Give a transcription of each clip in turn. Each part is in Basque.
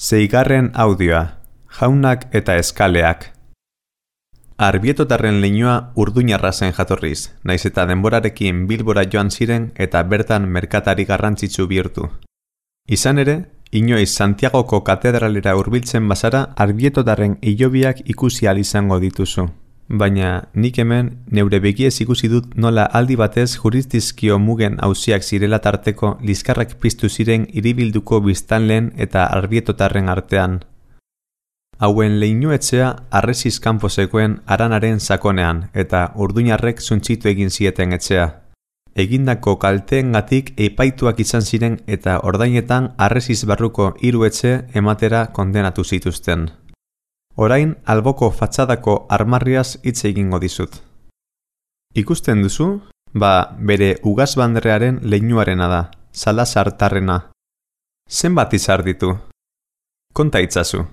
Seigarren audioa, jaunak eta eskaleak. Arbietotarren leinua Urduñarra zen jatorriz, naiz eta denborarekin Bilbora joan ziren eta bertan merkatari garrantzitsu bihurtu. Izan ere, inoiz Santiagoko katedralera hurbiltzen bazara arbietotarren hilobiak ikusi ahal izango dituzu. Baina nik hemen neure begiez ikusi dut nola aldi batez jurisdizkio mugen auziak zirela tarteko liskarrak piztu ziren hiribilduko biztanleen eta arbietotarren artean. Hauen leinuetxea harresiz kanpo zegoen haranaren sakonean eta Urduñarrek zuntzitu egin zieten etxea. Egindako kalteengatik epaituak izan ziren eta ordainetan harresiz barruko 3 etxe ematera kondenatu zituzten. Orain alboko fatxadako armarriaz hitz egingo dizut. Ikusten duzu? Bere ugazbandrearen leinuarena da, Salazartarrena. Zenbat izar ditu? Konta itzazu.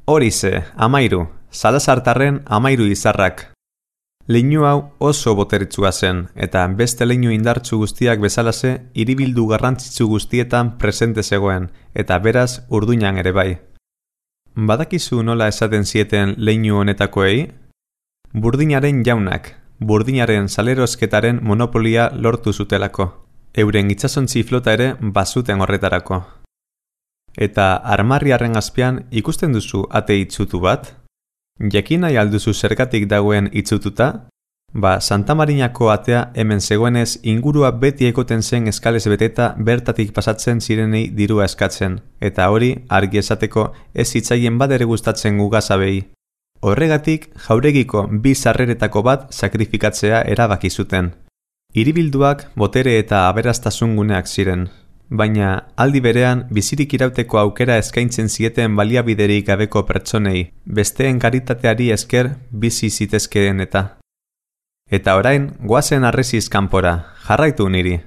Horize, 13, Salazartarren 13 izarrak. Leinu hau oso boteritsua zen, eta beste leinu indartsu guztiak bezalase hiribildu garrantzitsu guztietan presente zegoen, eta beraz Urduñan ere bai. Badakizu nola esaten zieten leinu honetakoei? Burdinaren jaunak, burdinaren salerosketaren monopolia lortu zutelako. Euren itsasontzi flota ere bazuten horretarako. Eta armarriaren azpian ikusten duzu ate itsutu bat? Jakin nahi alduzu zergatik dagoen itsututa? Santa Marinako atea hemen zegoenez ingurua beti ekoten zen eskalez beteta bertatik pasatzen zirenei dirua eskatzen, eta hori argi esateko ez zitzaien badere gustatzen ugazabei. Horregatik jauregiko 2 sarreretako bat sakrifikatzea erabaki zuten. Hiribilduak botere eta aberastasun guneak ziren. Baina aldi berean bizirik irauteko aukera eskaintzen zieten baliabiderik gabeko pertsonei, besteen karitateari esker bizi zitezkeen eta. Eta orain, goazen harresiz kanpora, jarraitu niri.